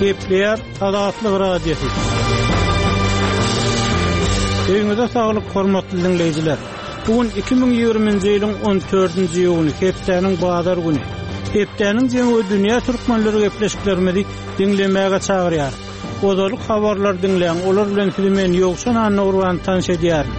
Gepleýär Azatlyk Radiosy. Öýüňize saglyk, hormatly diňleýjiler! Bu gün 2020-nji ýylyň 14-nji iýuny, hepdäniň bazar güni. Hepdäniň jemi we dünýä türkmenleri gepleşiklerimizi diňlemäge çagyrýar. Ozalyk habarlary diňläň, olar bilen sizi men Ýowşan Annagurban tanyş edýärin.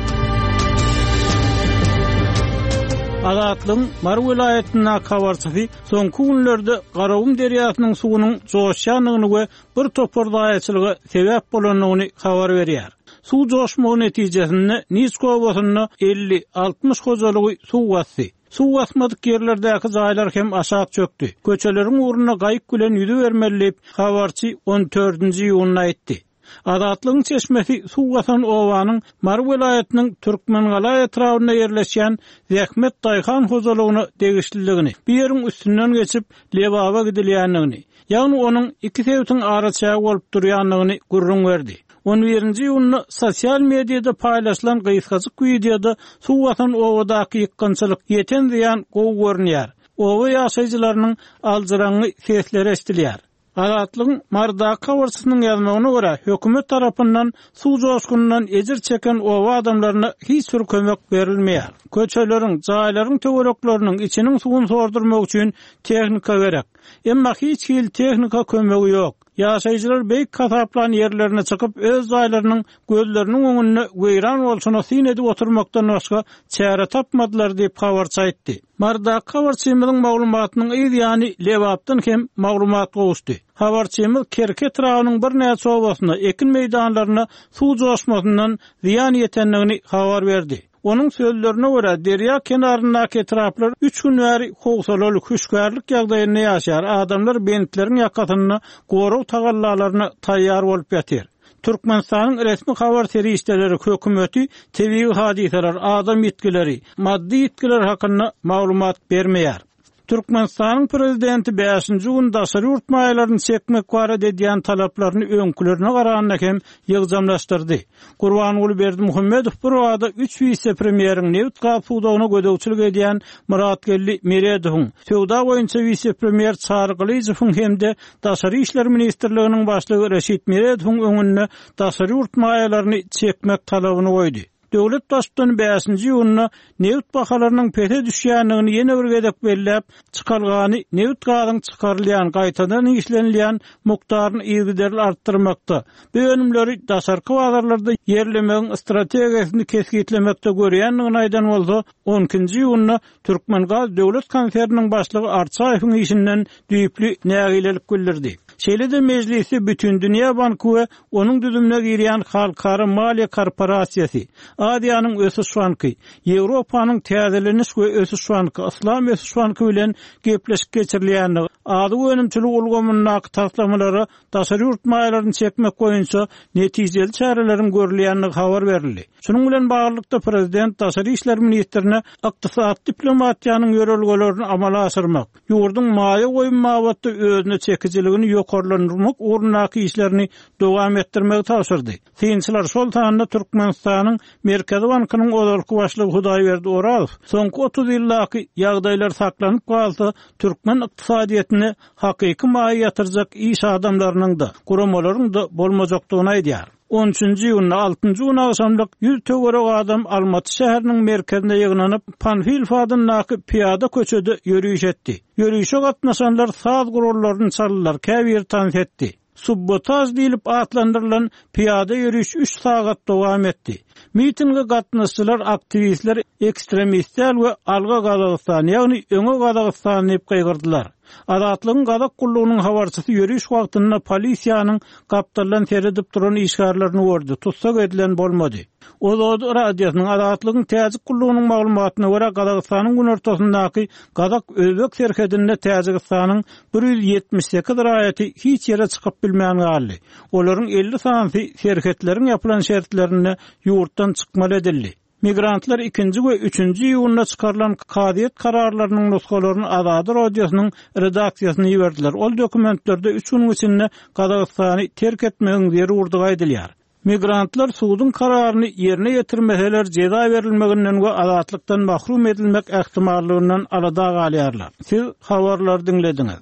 Azatlygyň Mary welaýatyndaky habarçysy soňky günlerde Garagum derýasynyň suwunyň joşýandygyny we bir topar zaýaçylyga sebäp bolandygyny habar berýär. Suw joşmagy netijesinde Niçka obasynda 50-60 hojalygy suw basdy. Suw basmadyk ýerlerdäki jaýlar hem aşak çökdi. Köçeleriň ugrunda gaýyk bilen ýüzübermeli diýip, habarçy on dördünji iýunda aýtdy. Azatlygyň çeşmesi suw basan obanyň Mary welaýatynyň Türkmengala etrabynda ýerleşýän Zähmet daýhan hojalygyna degişlidigini, bu ýeriň üstünden geçip, Lebaba gidilýändigini, ýagny onuň iki sebitiň araçägi bolup durýandygyny gürrüň berdi. On birinji iýunda sosial mediada paýlaşylan gysgajyk wideoda suw basan obadaky ýykgynçylyk, ýeten zyýan gowy görünýär. Oba ýaşaýjylarynyň aljyraňňy sesleri eşidilýär. Azatlygyň Marydaky habarçysynyň ýazmagyna görä, hökümet tarapyndan suw joşgunyndan ejir çeken oba adamlaryna hiç bir kömek berilmeýär. Köçeleriň, jaýlaryň töwerekleriniň içiniň suwuny sordurmak üçin tehnika gerek. Emma hiç hili tehnika kömegi ýok. Ýaşaýjylar beýik hasaplan ýerlerine çykyp, öz jaýlarynyň gözleriniň öňünde weýran bolşuna syn edip oturmakdan başga çäre tapmadylar diýip, habarçy aýtdy. Marydaky habarçymyzyň maglumatynyň yz ýany Lebapdan hem maglumat gowuşdy. Habarçymyz Kerki etrabynyň birnäçe obasynda ekin meýdanlaryna suw joşmasyndan zyýan ýetendigini habar berdi. Onuň sözlerine görä, derýa kenaryndaky etraplar üç gün bäri howsalaly, hüşgärlik ýagdaýynda ýaşaýar, adamlar bentleriň ýakasynda gorag tagallalaryna taýýar bolup ýatyr. Türkmenistanyň resmi habar serişdeleri hökümeti tebigy hadysalar, adam ýitgileri, maddy ýitgiler hakynda maglumat bermeýär. Türkmenistanyň prezidenti bäşinji gün daşary ýurt maýalaryny çekmek barada edýän talaplaryny öňkülerine garanda hem ýygjamlaşdyrdy. Gurbanguly Berdimuhamedow birbada üç wise-premýeriň, nebit-gaz pudagyna gözegçilik edýän Myratgeldi Meredowyň, söwda boýunça wise-premýer Çary Gylyjowyň hem-de Daşary işler ministrliginiň başlygy Reşit Meredowyň öňünde daşary ýurt maýalaryny çekmek talabyny goýdy. Döwlet Baştutany bäşinji iýunda nebit bahalarynyň pese düşýändigini ýene bir gezek belläp, çykalgany nebit-gazyň çykarylýan, gaýtadan işlenilýän mukdaryny yzygiderli artdyrmakda, bu önümleri daşarky bazarlarda ýerlemegiň strategiýasyny kesgitlemekde görýändigini aýdan bolsa, on ikinji iýunda Türkmengaz döwlet konserniniň başlygy Arçaýewiň işinden düýpli nägilelik bildirdi. Şeýle-de mejlisde Bütindünýä banky we onuň düzümine girýän Halkara maliýe korporasiýasy, Aziýanyň ösüş banky, Ýewropanyň täzeleniş we ösüş banky, Yslam ösüş banky bilen gepleşik geçirilýändigi, azyk önümçiligi ulgamyndaky taslamalara daşary ýurt maýalaryny çekmek boýunça netijeli çäreleriň görülýändigi habar berildi. Şunuň bilen baglylykda, prezident daşary işler ministrine ykdysady diplomatiýanyň ýörelgelerini amala aşyrmak, ýurduň maýa goýum babatda özüne çekijiligini ýokarlandyrmak ugrundaky işlerini dowam etdirmegi tabşyrdy. Synçylar, şol sanda Türkmenistanyň Merkezi bankynyň ozalky başlygy Hudaýberdi Orazow soňky 30 ýyldaky ýagdaýlar saklanyp galsa, türkmen ykdysadyýetine hakyky maýa ýatyrjak iş adamlarynyň-da, guramalaryň-da bolmajakdygyny aýdýar. On üçünji iýunda, altynjy gün agşamlyk ýüz töweregi adam Almaty şäheriniň merkezinde ýygnanyp, Panfilow adyndaky pyýada köçede ýöriş etdi. Ýörişe gatnaşanlar saz gurallaryny çaldylar, käbiri tans etdi. Subbotaž diýlip atlandyrylan pyýada ýöriş üç sagat dowam etdi. Mitinge gatnaşyjylar aktiwistler ekstremist däl we Alga Gazagystan, ýagny Öňe Gazagystan diýip gygyrdylar. Azatlygyň Gazak gullugynyň habarçysy ýöriş wagtynda polisiýanyň gapdaldan seredip duran işgärlerini gördi, tussag edilen bolmady. Ozod radiosynyň Azatlygyň Täjik gullugynyň maglumatyna görä, Gazagystanyň günortasyndaky gazak-özbek serhedinde Täjigistanyň 178 raýaty hiç ýere çykyp bilmän galdy. Olaryň 50 sanysy serhetleriň ýapylan şertlerinde ýurtdan çykmaly edildi. Migrantlar ikinji we üçünji iýunda çykarylan kazyýet kararlarynyň nusgalaryny Azady Radiosynyň redaksiýasyna iberdiler. Ol dokumentlerde üç günüň içinde Gazagystany terk etmegiň zerurdygy aýdylýar. Migrantlar suduň kararyny ýerine ýetirmeseler jeza berilmeginden we azatlykdan mahrum edilmek ähtimallygyndan alada galýarlar. Siz habarlary diňlediňiz.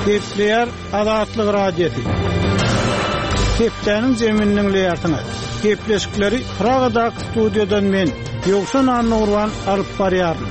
Gepleýär Azatlyk Radiosy. Hepdäniň jemini diňleýärsiňiz. Gepleşikleri Pragadaky studiýadan men, Ýowşan Annagurban alyp barýaryn.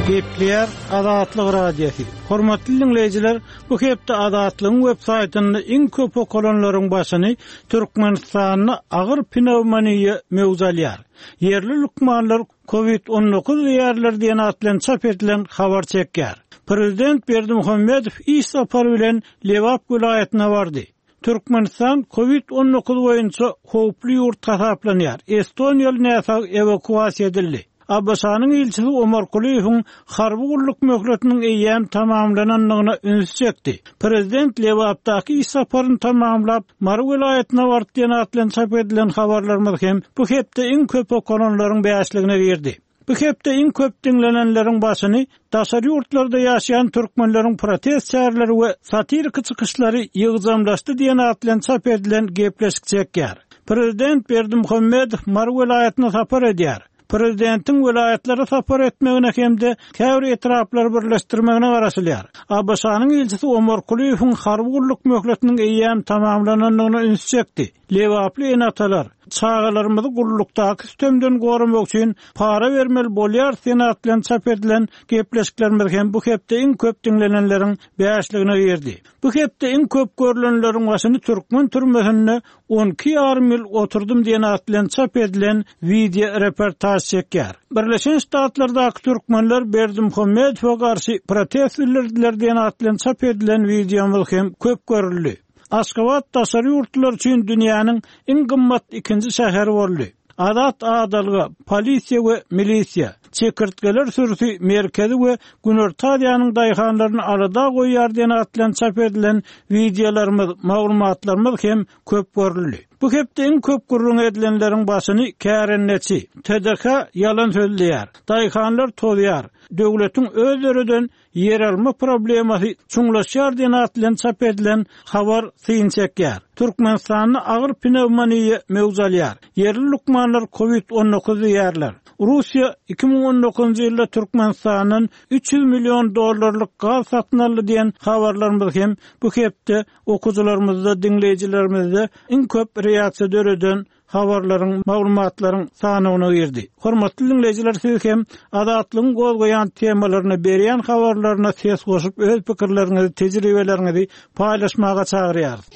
Gepleýär Azatlyk Radiosy. Hormatly diňleýjiler, bu hepde Azatlygyň web saýtynda iň köp okalanlaryň başyny Türkmenistanda agyr pnewmoniýa möwç alýar. Ýerli lukmanlar Covid 19 diýýärler diýen at bilen çap edilen habar çekýär. Prezident Berdimuhamedow iş sapary bilen Lebap welaýatyna bardy. Türkmenistan Covid 19 boýunça howply ýurt hasaplanýar. Estoniýaly näsag ewakuasiýa edildi. ABŞ-nyň ilçisi Omar Kulyýewiň harby gulluk möhletiniň eýýäm tamamlanandygyna ünsi çekdi. Prezident Lebapdaky iş saparyny tamamlap, Mary welaýatyna bardy diýen at bilen çap edilen habarlarymyz hem bu hepde iň köp okalanlaryň bäşligine girdi. Bu hepde iň köp diňlenenleriň başyny daşary ýurtlarda ýaşaýan türkmenleriň protest çäreleri we satiriki çykyşlary ýygjamlaşdy diýen at bilen çap edilen gepleşik çekýär. Prezident Berdimuhamedow Mary welaýatyna sapar edýär. Prezidentiň welaýatlara sapar etmegine hem-de käbir etraplary birleşdirmegine garaşylýar. ABŞ-nyň ilçisi Omar Kulyýewiň harby gulluk möhletiniň eýýäm tamamlanandygyna ünsi çekdi. Lebaply ene-atalar, Çagalarymyzy gullukdaky sütemden goramak üçin para bermeli bolýarys diýen at bilen çap edilen gepleşiklerimiz hem bu hepde iň köp diňlenenleriň bäşligine girdi. Bu hepde iň köp görlenleriň başyny türkmen türmesinde 12 ýarym ýyl oturdym diýen at bilen çap edilen wideo reportaž çekýär. Birleşen Ştatlardaky türkmenler Berdimuhamedowa garşy protest bildirdiler diýen at bilen çap edilen wideomyz hem köp görüldi. Aşgabat daşary ýurtlular üçin dünýäniň iň gymmat ikinji şäheri boldy. Azat adalga, polisiýa we milisiýa, çekirtgeler sürüsi Merkezi we Günorta Aziýanyň daýhanlaryny alada goýýar diýen at bilen çap edilen wideolarymyz, maglumatlarymyz hem köp görüldi. Bu hepde iň köp gürrüň edilenleriň başyny kärendeçi, TDH ýalan sözleýär, daýhanlar tozýar, döwletiň öz döreden Ýeralma problemasy çuňlaşýar diýen at bilen çap edilen habar syn çekýär. Türkmenistanda agyr pnewmoniýa möwç alýar. Ýerli lukmanlar covid 19 diýýärler. Russiýa 2019-njy ýylda Türkmenistandan 300 million dollarlyk gaz satyn aldy diýen habarlarymyz hem bu hepde okyjylarymyzda, diňleýjilerimizde iň köp reaksiýa döreden habarlaryň, maglumatlaryň sanawyna girdi. Hormatly diňleýjiler siz hem Azatlygyň gozgaýan temalaryna, berýän habarlaryna ses goşup öz pikirleriňizi, tejribeleriňizi paýlaşmaga çagyrýarys.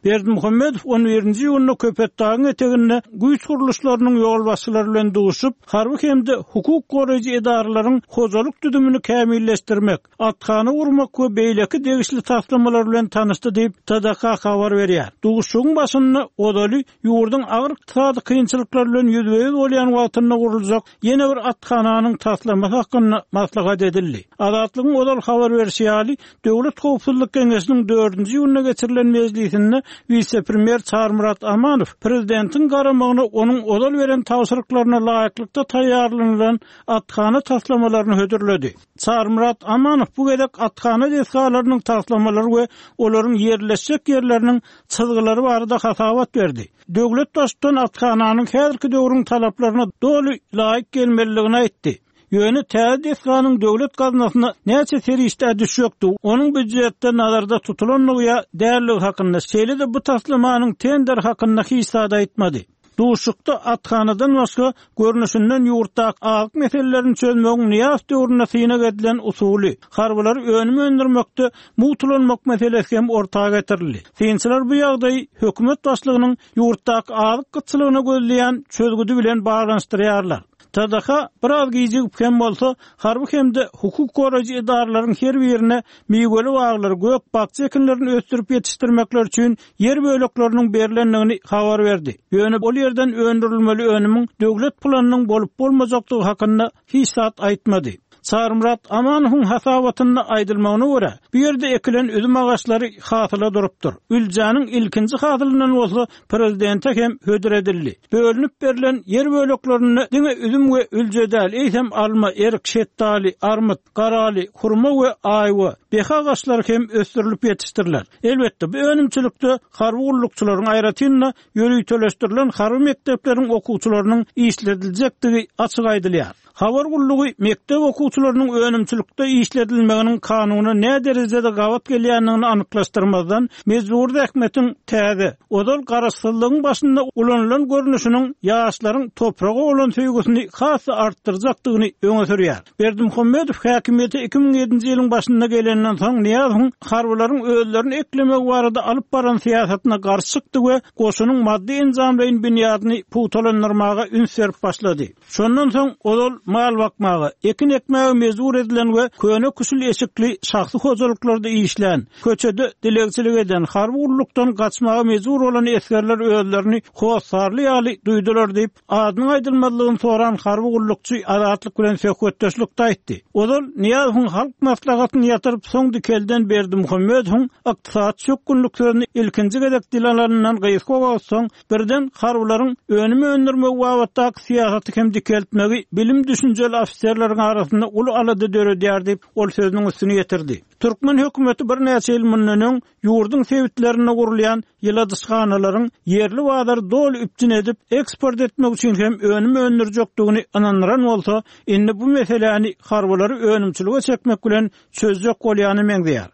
Berdimuhamedow on birinji iýunda Köpetdagyň eteginde güýç gurluşlarynyň ýolbaşçylary bilen duşup, harby hem-de hukuk goraýjy edaralaryň hojalyk düzümini kämilleşdirmek, athana gurmak we beýleki degişli taslamalar bilen tanyşdy diýip, TDH habar berýär. Duşuşygyň başynda ozaly ýurduň agyr ykdysady kynçylyklar bilen ýüzbe-ýüz bolýan wagtynda guruljak ýene bir athananyň taslamasy hakynda maslahat edildi. Azatlygyň ozal habar berşi ýaly, Döwlet howpsuzlyk geňeşiniň dördünji iýunda geçirilen mejlisinde wise-premýer Çarymyrat Amanow prezidentiň garamagyna onuň ozal beren tabşyryklaryna laýyklykda taýýarlanylan athana taslamalaryny hödürledi. Çarymyrat Amanow bu gezek athana desgalarynyň taslamalary we olaryň ýerleşjek ýerleriniň çyzgylary barada hasabat berdi. Döwlet Baştutany athananyň häzirki döwrüň talaplaryna doly laýyk gelmelidigini aýtdy. Ýöne täze desganyň döwlet gaznasyna näçe serişdä düşjekdigi, onuň býujetde nazarda tutulandygy ýa däldigi hakynda, şeýle-de bu taslamanyň tenderi hakynda hiç zat aýtmady. Duşuşykda athanadan başga, görnüşinden ýurtdaky azyk meselelerini çözmegiň Nyýazow döwründe synag edilen usuly, harbylary önüm öndürmekde mugt ulanmak meselesi hem orta getirildi. Synçylar bu ýagdaýy hökümet başlygynyň ýurtdaky azyk gytçylygyna gözleýän çözgüdi bilen baglanyşdyrýarlar. TDH biraz gijigip hem bolsa, harby hem-de hukuk goraýjy edaralaryň her birine miweli baglary, gök-bakja ekinlerini ösdürip ýetişdirmekleri üçin ýer bölekleriniň berlendigini habar berdi. Ýöne ol ýerden öndürilmeli önümiň döwlet planynyň bolup-bolmajakdygy hakynda hiç zat aýtmady. Çarymyrat Amanowyň hasabatynda aýdylmagyna görä, bu ýerde ekilen üzüm agaçlary hasyla durupdyr. Üljäniň ilkinji hasylyndan bolsa prezidente hem hödür edildi. Bölünip berlen ýer böleklerinde diňe üzüm we ülje däl, eýsem alma, erik, şetdaly, armyt, garaly, hurma we aýwa, behi agaçlary hem ösdürilip ýetişdiriler. Elbetde, bu önümçilikde harby gullukçylaryň, aýratyn-da, ýöriteleşdirilen harby mekdepleriň okuwçylarynyň işlediljekdigi açyk aýdylýar. Habar gullugy mekdep okuwçylarynyň önümçilikde işledilmeginiň kanuna näderejede gabat gelýändigini anyklaşdyrmazdan, mejbury zähmetiň täze, ozal garaşsyzlygyň başynda ulanylan görnüşiniň ýaşlaryň topraga bolan söýgüsini has-da artdyrjakdygyny öňe sürýär. Berdimuhamedow häkimiýete 2007-nji ýylyň başynda gelenden soň Nyýazowyň harbylaryň özlerini eklemegi barada alyp baran syýasatyna garşy çykdy we goşunyň maddy-enjamlaýyn binýadyny pugtalandyrmaga üns berip başlady. Şondan soň ozal mal bakmaga, ekin ekmäge mejbur edilen we köne-küşül eşikli şahsy hojalyklarda işlän, köçede dilegçilik eden, harby gullukdan gaçmaga mejbur bolan esgerler özlerini hossarly ýaly duýdular diýip, adynyň aýdylmazlygyny soran harby gullukçy Azatlyk bilen söhbetdeşlikde aýtdy. Ozal Nyýazowyň Halk Maslahatyny ýatyryp, soň dikelden Berdimuhamedowyň ykdysady çökgünlik sözüni ilkinji gezek dile alanyndan gysga wagt soň, Birden harbylaryň önüm öndürmegi babatdaky syýasaty hem dikeltmegi bilim-düşünjeli ofiserleriň arasynda uly alada döredýär diýip, ol sözüniň üstüni ýetirdi. Türkmen hökümeti birnäçe ýyl mundan öň ýurduň sebitlerinde gurulýan ýyladyşhanalaryň ýerli bazary doly üpjün edip, eksport etmek üçin hem önüm öndürjekdigini ynandyran bolsa, indi bu meseläni harbylary önümçilige çekmek bilen çözjek bolýana meňzeýär.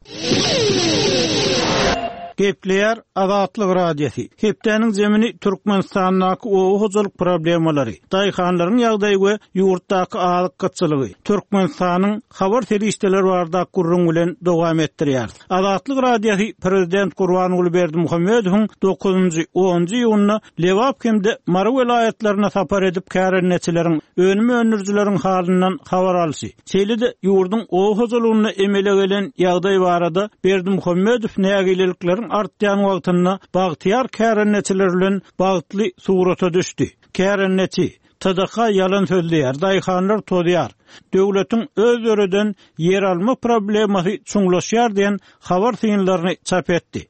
Gepleýär Azatlyk Radiosy. Hepdäniň zemini Türkmenistandaky oba hojalyk problemalary, daýhanlaryň ýagdaýy we ýurtdaky azyk gytçylygy, Türkmenistanyň habar serişdeleri baradaky gürrüň bilen dowam etdirýäris. Azatlyk Radiosy prezident Gurbanguly Berdimuhamedowyň dokuzynjy, onunjy iýunda Lebap hem-de Mary welaýatlaryna sapar edip kärendeçileriň, önüm öndürijileriň halyndan habar alşy, Şeýle-de, ýurduň oba hojalygynda emele gelen ýagdaý barada Berdimuhamedow nägilelikleriň artýan wagtynda bagtyýar kärendeçiler bilen bagtly surata düşdi. Kärendeçi, TDH ýalan sözleýär, daýhanlar tozýar, döwletiň öz döreden ýeralma problemasy çuňlaşýar diýen habar synlaryny çap etdi.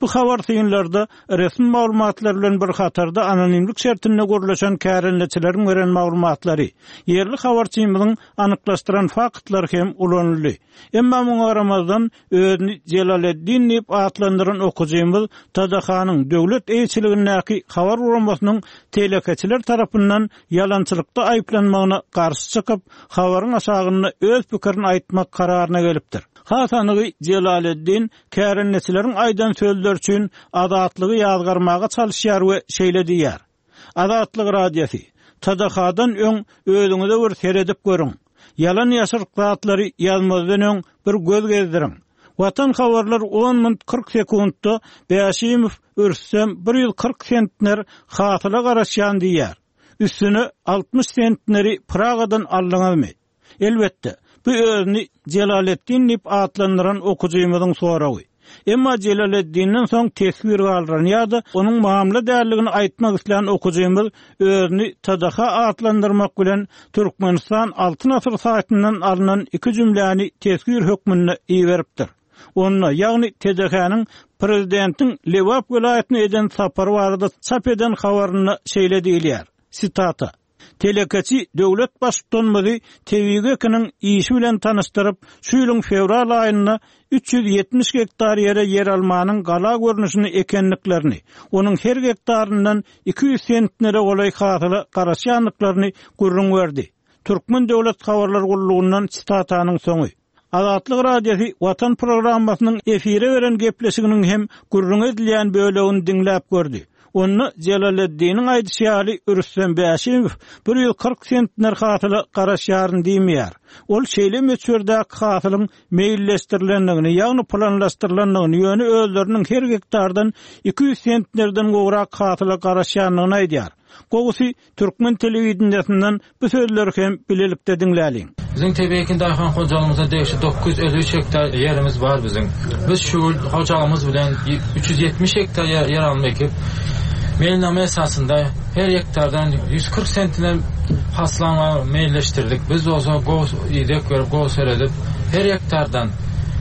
Bu habar synlarda resmi maglumatlar bilen bir hatarda anonimlik şertinde gürleşen kärendeçileriň beren maglumatlary, ýerli habarçymyzyň anyklaşdyran faktlary hem ulanyldy. Emma muňa garamazdan, özüni Jelaleddin diýip atlandyran okyjymyz TDH-nyň döwlet eýeçiligindäki habar guramasynyň telekeçiler tarapyndan ýalançylykda aýyplanmagyna garşy çykyp, habaryň aşagynda öz pikirini aýtmak kararyna gelipdir. Has anygy Jelaleddin Kärendeçileriň aýdan sözleri üçin Azatlygy ýazgarmaga çalyşýar we şeýle diýýär, Azatlyk Radiosy, TDH-dan öň özüňize bir seredip görüň. Ýalan-ýaşryk zatlary ýazmazdan öň bir göz gezdiriň. Watan habarlar on munt 40 sekuntda Bäşimow Rüstem 140 sentner hasyla garaşýan diýýär. Üstüne 60 sentneri Pragadan aldyňyzmy? Elbetde, bu özüni Jelaleddin diýip atlandyran okyjymyzyň soragy. Emma Jelaleddinden soň teswir galdyran ýa-da onuň mamla däldigini aýtmak islän okyjymyz özüni TDH atlandyrmak bilen Türkmenistan Altyn asyr saýtyndan alnan iki jümläni teswir hökmünde iberipdir. Onda, ýagny TDH-niň prezidentiň Lebap welaýatyna eden sapary barada çap eden habarynda şeýle diýilýär, sitata, Telekeçi döwlet Baştutanymyzy tebigy ekiniň işi bilen tanyşdyryp, şu ýylyň fewral aýynda 370 gektar ýere ýeralmanyň gala görnüşini ekendiklerini, onuň her gektaryndan 200 sentnere golaý hasyla garaşýandyklaryny gürrüň berdi. Türkmen döwlet habarlar gullugyndan sitatanyň soňy. Azatlyk Radiosy Watan programmasynyň efire beren gepleşiginiň hem gürrüňi edilýän bölegini diňläp gördi. Onda Jelaleddiniň aýdyşy ýaly Rüstem Bäşimow 140 sentner hasyla garaşýaryn diýmeýär. Ol şeýle möçberdäki hasylyň meýilleşdirilendigini, ýagny planlaşdyrylandygyny, ýöne özleriniň her gektardan 200 sentnerden gowrak hasyla garaşýandygyny aýdýar. Gowusy, Türkmen telewideniýesinden bu sözleri hem bilelikde diňläliň. Biziň tebigy ekin daýhan hojalygymyza degişli 953 gektar ýerimiz bar biziň. Biz şu ýyl hojalygymyz bilen 370 gektar ýeralma ekip, meýilnama esasynda her gektardan 140 sentner hasyl almagy meýilleşdirdik. Biz bolsa gowy ideg berip, gowy seredip, her gektardan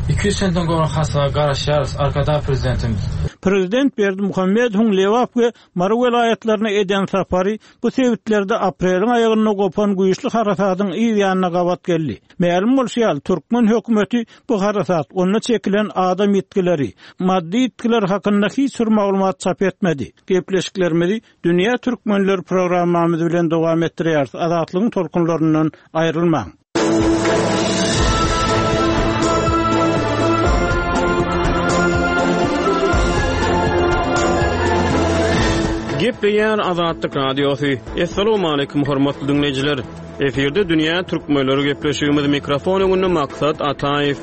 200 sentner gowrak hasyla garaşýarys, Arkadag Prezidentimiz. Prezident Berdimuhamedowyň Lebap we Mary welaýatlaryna eden sapary bu sebitlerde apreliň aýagynda gopan güýçli harasadyň yz ýanyna gabat geldi. Mälim bolşy ýaly, türkmen hökümeti bu harasat, onda çekilen adam ýitgileri, maddy ýitgiler hakynda hiç bir maglumat çap etmedi. Gepleşiklerimizi Dünýä Türkmenleri programmamyz bilen dowam etdirýäris. Azatlygyň tolkunlaryndan aýrylmaň! Gepleýär Azatlyk Radiosy. Assalamualaikum hormatly diňleýjiler. Efirde dünýä türkmenleri gepleşigimiz mikrofon öňünde Maksat Ataýew.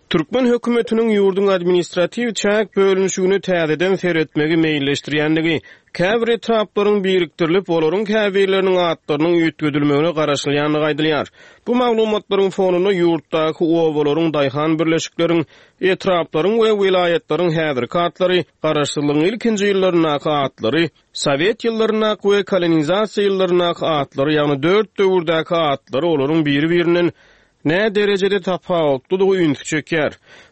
Türkmen hökümetiniň ýurduň administratiw çäk bölünişigine täzeden seretmegi meýilleşdirýändigi, käbir etraplaryň birikdirilip, olaryň käbirleriniň atlarynyň üýtgedilmegine garaşylýandygy aýdylýar. Bu maglumatlaryň fonunda ýurtdaky obalaryň, daýhan birleşikleriň, etraplaryň we welaýatlaryň häzirki atlary, garaşsyzlygyň ilkinji ýyllaryndaky atlary, sowet ýyllaryndaky we kolonizasiýa ýyllaryndaky atlary, ýagny dört döwürdäki atlary olaryň biri-birinden Nä derejede tapawutlydygy ünsi çekýär.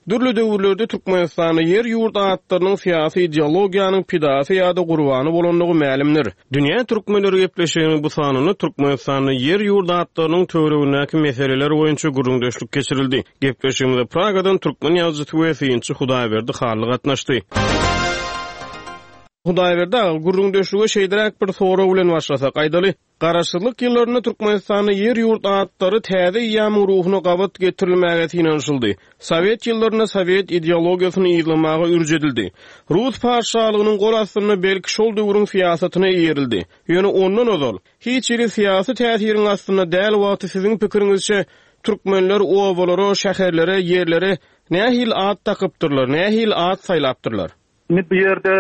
Dürli döwürlerde Türkmenistanda ýer-ýurt atlarynyň syýasy ideologiýanyň pidasy ýa-da gurbany bolandygy mälimdir. Dünýä türkmenleri gepleşiginiň bu sanynda Türkmenistanda ýer-ýurt atlarynyň töweregindäki meseleler boýunça gürrüňdeşlik geçirildi. Gepleşigimize Pragadan türkmen ýazyjysy we synçy Hudaýberdi Hally gatnaşdy. Hudaýberdi aga, gürrüňdeşlige şeýleräk bir sorag bilen başlasak, aýdaly, Garaşsyzlyk ýyllarynda Türkmenistanda ýer-ýurt atlary täze eýýamyň ruhuna gabat getirilmäge synanyşyldy. Sowet ýyllarynda sowet ideologiýasyny yzlamaga ürç edildi. Rus patyşalygynyň gol astynda belki şol döwrüň syýasatyna eýerildi. Ýöne ondan ozal, hiç hili syýasy täsiriň astynda däl wagty siziň pikiriňizçe türkmenler obalara, şäherlere, ýerlere nähili at dakypdyrlar, nähili at saýlapdyrlar? Indi bu ýerde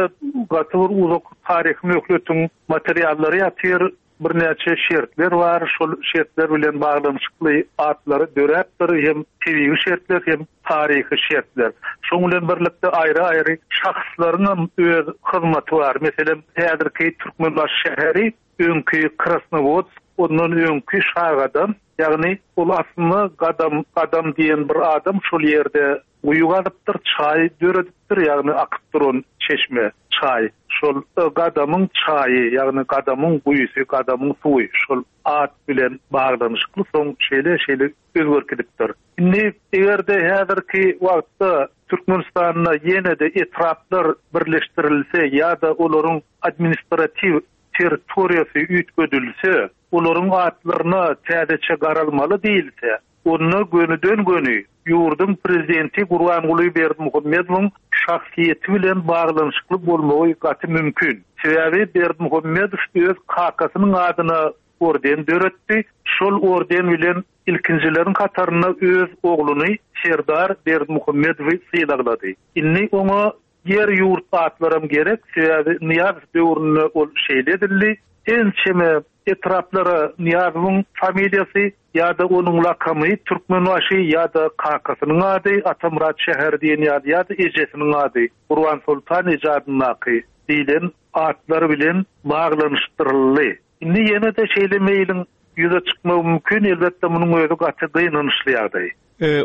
gaty bir uzak taryhy möhletiň materiallary ýatyr, birnäçe şertler bar, şol şertler bilen baglanyşykly atlary döräpdir, hem tebigy şertler, hem taryhy şertler. Şoň bilen birlikde aýry-aýry şahslaryňam öz hyzmaty bar. Meselem, häzirki Türkmenbaşy şäheri öňki Krasnowodsk, ondan öňki Şagadam, ýagny ol aslynda Gadam, Gadam diýen bir adam şol ýerde Guýy gazypdyr, çaý döredipdir, ýagny akyp duran çeşme, çaý. Şol Gadamyň çaýy, ýagny Gadamyň guýusy, Gadamyň suwy şol at bilen baglanyşykly soň şeýle-şeýle özgerip gidipdir. Indi eger-de häzirki wagtda Türkmenistanda ýene-de etraplar birleşdirilse ýa-da olaryň administratiw territoriýasy üýtgedilse, olaryň atlaryna täzeçe garalmaly diýilse, Onda gönüden-göni ýurduň prezidenti Gurbanguly Berdimuhamedowyň şahsyýeti bilen baglanyşykly bolmagy gaty mümkin. Sebäbi Berdimuhamedow öz kakasynyň adyna orden döretdi, şol orden bilen ilkinjileriň hatarynda öz ogluny Serdar Berdimuhamedowy sylaglady. Indi oňa ýer-ýurt atlaram gerek, sebäbi Nyýazow döwründe ol şeýle edildi. Ençeme etraplara Nyýazowyň familiýasy ýa-da onuň lakamy Türkmenbaşy ýa-da kakasynyň ady Atamyrat şäheri diýen ýaly ýa-da ejesiniň ady Gurbansoltan eje adyndaky diýlen atlar bilen baglanyşdyryldy. Indi ýene-de şeýle meýliň ýüze çykmagy mümkin, elbetde munuň özi gaty gynançly ýagdaý.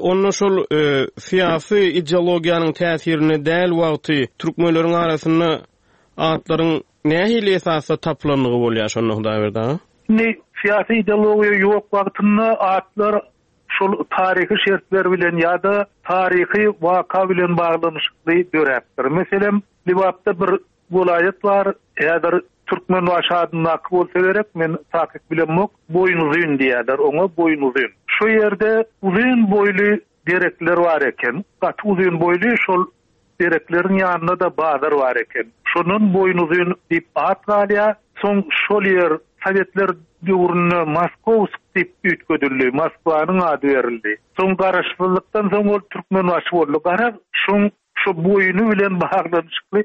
Onda şol syýasy ideologiýanyň täsirinde däl wagty türkmenleriň arasynda atlaryň Nähili esasda tapylandygy bolýar şonda Hudaýberdi aga? Indi syýasy ideologiýa ýok wagtynda atlar şol taryhy şertler bilen ýa-da taryhy waka bilen baglanyşykly döräpdir. Meselem, Lebapda bir welaýat bar, häzir Türkmenbaşy adyndaky bolsa gerek, men takyk bilemok, Boýnuzyn diýýärler oňa, Boýnuzyn. Şo ýerde uzyn boýly derekler bar eken, gaty uzyn boýly şol Derekleriň ýanynda-da bazar bar eken. Şondan Boýnuzyn diýip at galýar. Soň şol ýer sowetler döwründe Moskowsk diýip üýtgedildi, Moskwanyň ady berildi. Soň garaşsyzlykdan soň ol Türkmenbaşy boldy. Garaz, şoň şo boýny bilen baglanyşykly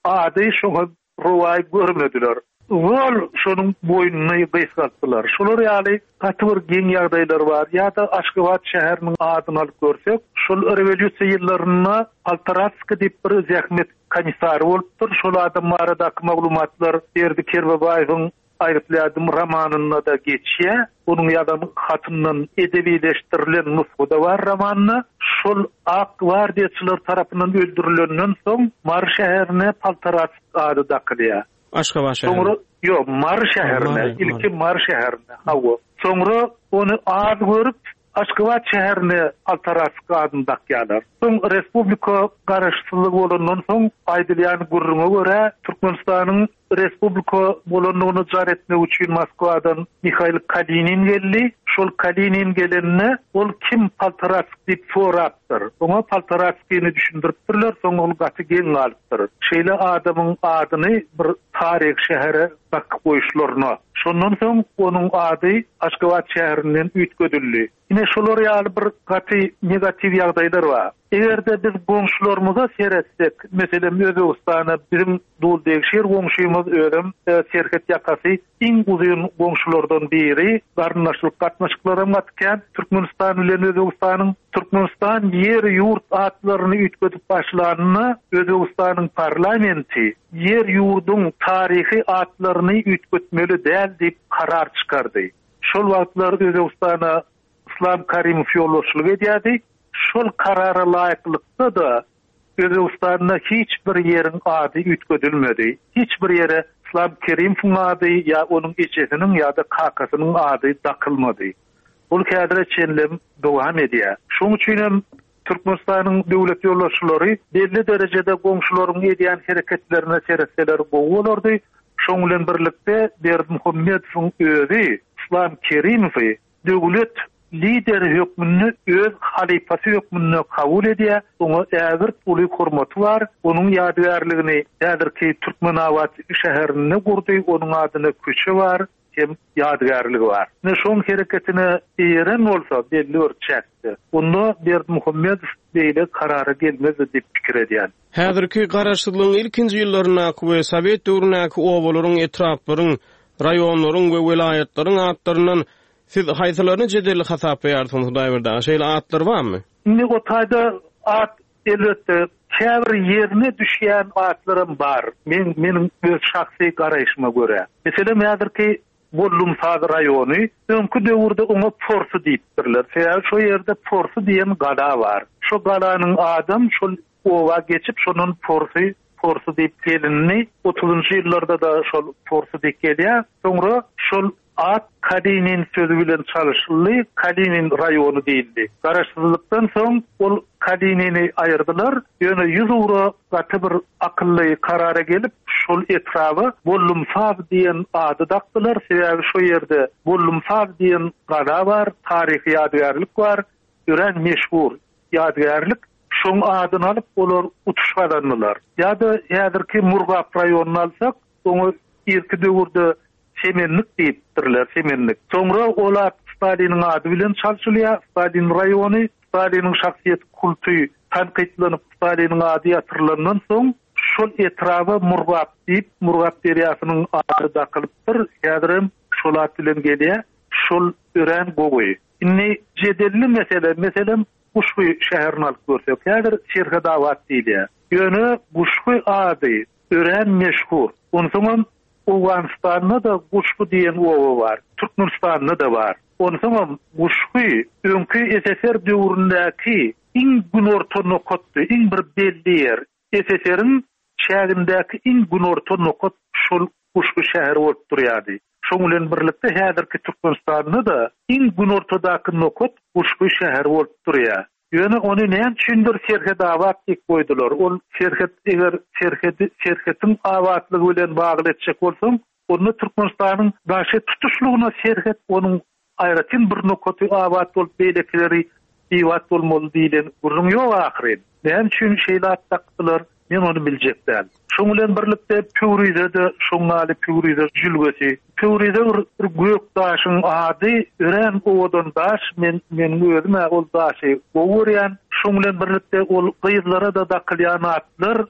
ady şoňa Rowaý görmediler. Zol şonuň boýnuny gysgaltdylar. Şolar ýaly gaty bir geň ýagdaýlar bar. Ýa-da Aşgabat şäheriniň adyny alyp görsek, şol rewolýusiýa ýyllarynda Poltoratskiý diýip bir zähmet komissary bolupdyr. Şol adam baradaky maglumatlar Berdi Kerbabaýewiň. Aýgytly ädim romanynda-da geçýär. Onuň ýazan hatyndan edebileşdirilen nusga-da bar romanda. Şol ak gwardiýaçylar tarapyndan öldürilenden soň Mary şäherine Poltarask ady dakylýar. Aşgabat şäherine? Soňra, ýok, Mary şäherine, ilki Mary şäherine, hawa. Soňra ony az görüp, Aşgabat şäherine Poltarask adyny dakýarlar. Soň respublika garaşsyzlygy bolandan soň aýdylýan gürrüňe görä, Türkmenistanyň respublika bolandygyny jar etmek üçin Moskwadan Mihail Kalinin geldi. Şol Kalinin gelende ol kim Poltarask diýip sorapdyr. Oňa Poltaraskini düşündiripdirler, soň ol gaty geň galypdyr. Şeýle adamyň adyny bir taryhy şähere dakyp goýuşlaryna. Şondan soň onuň ady Aşgabat şäherinden üýtgedildi. Ine şolar ýaly bir gaty negatiw ýagdaýlar bar. Eger-de biz goňşularymyza seretsek, meselem Özbegistana biziň duldegşir goňşymyz özem serhet ýakasy iň uzyn goňşulardan biri, garyndaşlyk gatnaşyklaram gaty kän Türkmenistan bilen Özbegistanyň. Türkmenistan ýer-ýurt atlaryny üýtgedip başlanda Özbegistanyň parlamenti ýer-ýurduň taryhy atlaryny üýtgetmeli däl diýip karar çykardy. Şol wagtlar Özbegistana Yslam Karimow ýolbaşçylyk edýärdi. Şol karara laýyklykda-da Özbegistanda hiç bir ýeriň ady üýtgedilmedi. Hiç bir ýere Yslam Kerimowyň ady ýa onuň ejesiniň ýa-da kakasynyň ady dakylmady. Ol häzire çenlem dowam edýär. Şonuň üçin hem Türkmenistanyň döwlet ýolbaşçylary belli derejede goňşularyň edýän hereketlerine seretseler gowy bolardy. Şoň bilen birlikde Berdimuhamedowyň özi Yslam Kerimowy döwlet lideri hökmünde öz halypasy hökmünde kabul edýär, oňa ägirt uly hormaty bar. Onuň ýadygärligini häzirki Türkmenabat şäherinde gurdy, onuň adyna köçe bar. hem ýadygärligi bar. Ine şoň hereketine eýeren bolsa belli bir çäkde, onda Berdimuhamedow beýle karara gelmezdi diýip pikir edýän. Häzirki Garaşsyzlygyň ilkinji ýyllaryndaky we sowet döwründäki obalaryň, etraplaryň, raýonlaryň we welaýatlaryň atlaryndan siz haýsylaryny jedelli hasaplaýarsyňyz Hudaýberdi aga? Şeýle atlar barmy? Indi o taýda at Elbetde, käbir ýerine düşýän atlaram bar, meň meniň öz şahsy garaýşyma görä. Meselem, häzirki Bollumsaz raýony, öňki döwürde oňa Porsy diýipdirler. Sebäbi şo ýerde Porsy diýen gala bar. Şo galanyň adam şol oba geçip, şondan Porsy, Porsy diýip gelindi. Otuzynjy ýyllarda-da şol Porsy diýip gelýär. Soňra şol At Kalinin sözi bilen çalyşyldy, Kalinin raýony diýildi. Garaşsyzlykdan soň ol Kalinini aýyrdylar, ýöne ýüzugra gaty bir akylly karara gelip, şol etraba Bollumsaz diýen ady dakdylar, sebäbi şo ýerde Bollumsaz diýen gala bar, taryhy ýadygärlik bar, örän meşhur ýadygärlik. Şoň adyny alyp, olar utuş gazandylar. Ýa-da häzirki Murgap raýonyny alsak, oňa irki döwürde Semennik diýipdirler, Semennik. Soňra ol at Staliniň ady bilen çalşylýar, Stalin raýony. Staliniň şahsyýet kulty tankytlanyp, Staliniň ady ýatyrylandan soň, şol etraba Murgap diýip, Murgap derýasynyň ady dakylypdyr. Häzirem şol at bilen gelýär. Şol örän gowy. Indi jedelli mesele, meselem, Guşgy şäherini alyp görsek, häzir Serhetabat diýilýär. Ýöne Guşgy ady örän meşhur. Onsoňam Owganystanda-da Guşgy diýen oba bar, Türkmenistanda-da bar. Onsoňam Guşgy öňki SSR döwründäki iň günorta nokatdy, iň bir belli ýer. SSR-iň çägindäki iň günorta nokat şol Guşgy şäheri bolup durýardy. Şoň bilen birlikde häzirki Türkmenistanda-da iň günortadaky nokat Guşgy şäheri bolup durýar. Ýöne ony näme üçindir Serhetabat diýip goýdular. Ol serhet eger serhedi serhetiň abatlygy bilen bagly etjek bolsaň, onda Türkmenistanyň daşy tutuşlygyna serhet onuň aýratyn bir nokaty abat bolup beýlekileri bibat bolmaly diýlen gürrüň ýok ahyryn. Näme üçin şeýle at dakdylar? Men ony biljek däl. Şoň bilen birlikde Pöwrize-de şoň ýaly Pöwrize jülgesi. Pöwrize bir bir gök daşyň ady, örän owadan daş, men meniň özüm-ä ol daşy gowy görýän. Şoň bilen birlikde ol gyzlara-da dakylýan atlar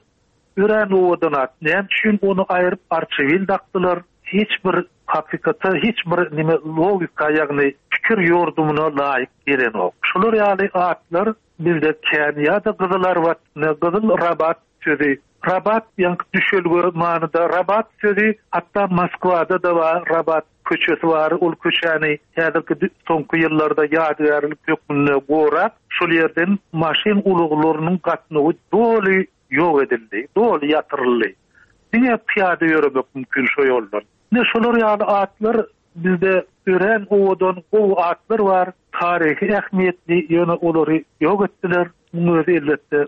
örän owadan at. Näme üçin ony aýryp Arçabil dakdylar? Hiç bir hakykata, hiç bir nime logika ýagny pikir ýordumyna laýyk gelenok. Şular ýaly atlar Bizde kän ýa-da Gyzylarbat, ne Gyzyl Rabat sözi. Rabat ýaňky düşelge manyda. Rabat sözi hatda Moskwada-da bar, Rabat köçesi bar. Ol köçäni häzirki soňky ýyllarda ýadygärlik hökmünde gorap, şol ýerden maşyn ulaglarynyň gatnawy doly ýok edildi, doly ýatyryldy. Diňe pyýada ýöremek mümkin şo ýoldan. Ine şolar ýaly atlar bizde örän owadan, gowy atlar bar, taryhy ähmiýetli, ýöne olary ýok etdiler. Muň özi elbetde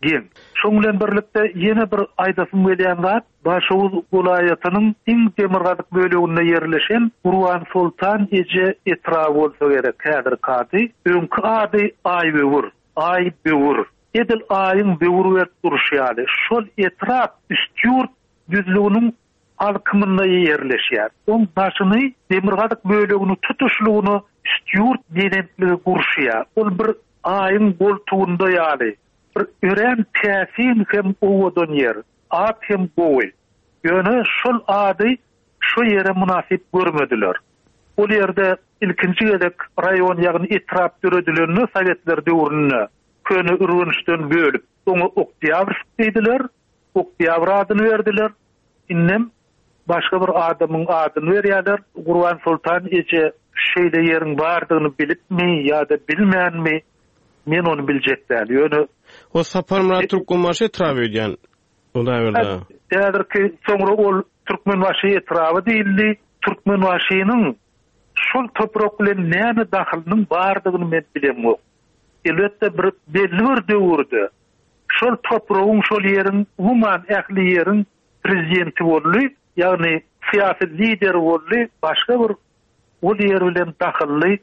geň. Şoň bilen birlikde ýene bir aýdasym gelýän zat, Daşoguz welaýatynyň iň demirgazyk böleginde ýerleşen Gurbansoltan eje etraby bolsa gerek häzirki ady. Öňki ady Aýböwür, Aý-böwür. Edil Aýyň böwür berip durşy ýaly, şol etrap Üstýurt düzlüginiň alkymynda ýerleşýär. Oň daşyny, demirgazyk bölegini tutuşlygyna Üstýurt belentligi gurşaýar. Ol bir Aýyň goltugynda ýaly, bir örän täsin hem owadan ýer. At hem gowy. Ýöne şol ady şo ýere mynasyp görmediler. Ol ýerde ilkinji gezek raýon, ýagny etrap döredilende sowetler döwründe Köne Ürgençden bölüp, oňa Oktýabrsk diýdiler, Oktýabr adyny berdiler. Indem başga bir adamyň adyny berýärler. Gurbansoltan eje şeýle ýeriň bardygyny bilipmi ýa-da bilmänmi, men ony biljek däl. Ýöne. O Saparmyrat Türkmenbaşy etraby öýdýän. Hudaýberdi aga. Häzirki soňra ol Türkmenbaşy etraby diýildi. Türkmenbaşynyň şol toprak bilen näme dahylynyň bardygyny men bilemok. Elbetde bir belli bir döwürde şol topragyň, şol ýeriň, umuman ähli ýeriň prezidenti boldy, ýagny syýasy lideri boldy, başga bir ol ýer bilen dahylly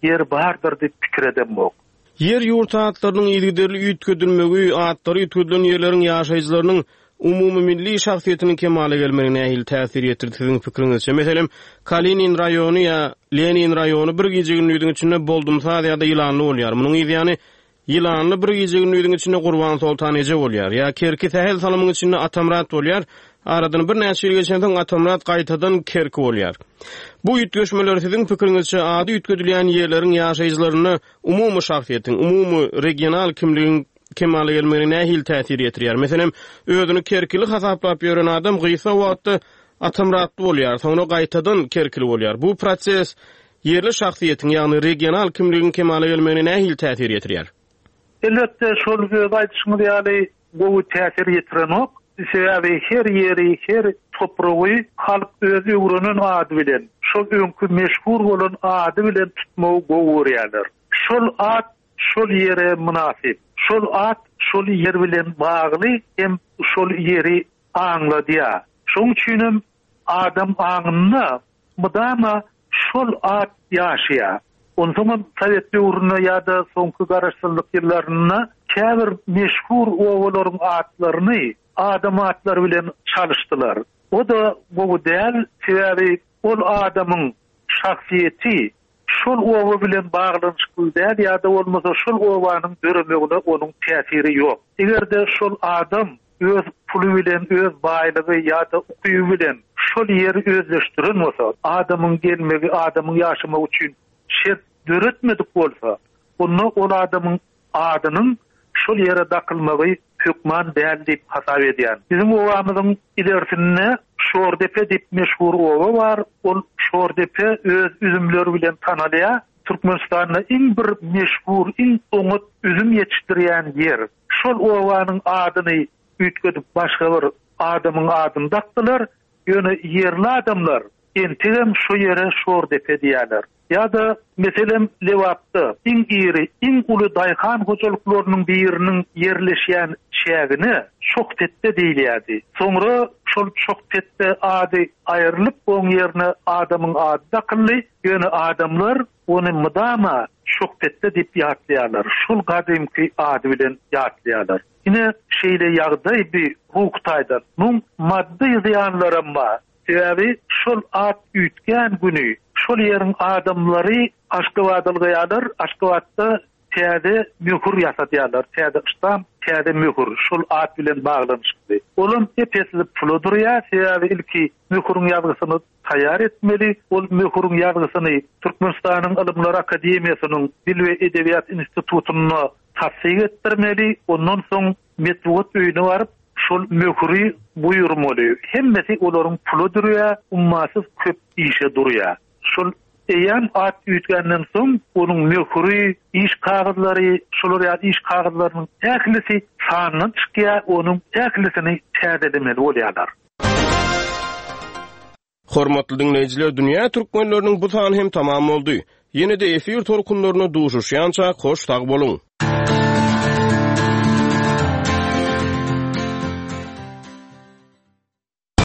ýer bardyr diýip pikir edemok. Ýer-ýurt atlarynyň yzygiderli üýtgedilmegi, atlary üýtgedilen ýerleriň ýaşaýjylarynyň umumymilli şahsyýetiniň kemala gelmegine nähili täsir ýetirdi siziň pikiriňizçe? Meselem, Kalinin raýony ýa Lenin raýony bir gije-gündiziň içinde Boldumsaz ýa-da Ýylanly bolýar. Munuň yzýany Ýylanly bir gije-gündiziň içinde Gurbansoltan eje bolýar. Ýa Kerki sähel salymyň içinde Atamyrat bolýar. Aradan birnäçe ýyl geçensoň Atamyrat gaýtadan Kerki bolýar. Bu üýtgeşmeler siziň pikiriňizçe ady üýtgedilýän ýerleriň ýaşaýjylarynda umumy şahsyýetiň, umumy regional kimligiň kemala gelmegine nähili täsir ýetirýär? Meselem, özüni kerkili hasaplap ýören adam gysga wagtda Atamyratly bolýar, soňra gaýtadan kerkili bolýar. Bu proses ýerli şahsyýetiň, ýagny regional kimligiň kemala gelmegine nähili täsir ýetirýär? Elbetde, şol öz aýdyşyňyz ýaly gowy täsir ýetirenok. Sebäbi her ýeri, her topragy halk öz öwrenen ady bilen, şol öňki meşhur bolan ady bilen tutmagy gowy görýärler. Şol at şol ýere mynasyp. Şol at şol ýer bilen bagly hem şol ýeri aňladýar. Şonuň üçinem adam aňynda mydama şol at ýaşaýar. Onsoňam sowet döwründe ýa-da soňky garaşsyzlyk ýyllarynda käbir meşhur obalaryň atlaryny adam atlary bilen çalyşdylar. O-da gowy däl, sebäbi ol adamyň şahsyýeti şol oba bilen baglanyşykly däl ýa-da bolmasa şol obanyň döremegine onuň täsiri ýok. Eger-de şol adam öz puly bilen, öz baýlygy ýa-da ukyby bilen şol ýeri özleşdiren bolsa, adamyň gelmegi, adamyň ýaşamagy üçin şert döretmedik bolsa, onda ol adamyň adynyň şol ýere dakylmagy hökman däl diýip hasap edýän. Biziň obamyzyň ilersinde Şordepe diýip meşhur oba bar. Ol Şordepe öz üzümleri bilen tanalýar. Türkmenistanda iň bir meşhur, iň oňat üzüm ýetişdirýän ýer. Şol obanyň adyny üýtgedip başga bir adamyň adyny dakdylar. Ýöne ýerli adamlar entegem şo ýere Şordepe diýýärler. Ýa-da, meselem, Lebapda iň iri, iň uly daýhan hojalyklarynyň biriniň ýerleşýän çägine Çohpetde diýilýärdi. Soňra şol Çohpetde ady aýrylyp, oň ýerine adamyň ady dakyldy. Ýöne adamlar ony mydama Çohpetde diýip ýatlaýarlar. Şol gadymky ady bilen ýatlaýarlar. Ine, şeýle ýagdaý bi ruhy taýdan. Muň maddy zyýanlaram bar. Sebäbi şol at üýtgän güni şol ýeriň adamlary Aşgabada ylgaýarlar, Aşgabatda täze möhür ýasadýarlar, täze ştamp, täze möhür şol at bilen baglanyşykly. Olam ep-esli pula durýar, sebäbi ilki möhüriň ýazgysyny taýýar etmeli, ol möhüriň ýazgysyny Türkmenistanyň Ylymlar akademiýasynyň Dil we edebiýat institutynda tassyk etdirmeli, ondan soň Metbugat öýüne baryp,. Şol möhüri buýurmaly. Hemmesi olaryň pula durýar, ummasyz köp işe durýar. Şol eýýäm at üýtgänden soň onuň möhüri, iş kagyzlary, şolar ýaly iş kagyzlarynyň ählisi sandan çykýar, onuň ählisini täzelemeli bolýarlar. Hormatly diňleýjiler, Dünýä türkmenleriniň bu sany hem tamam boldy. Ýene-de efir tolkunlarynda duşuşýançak hoş sag boluň!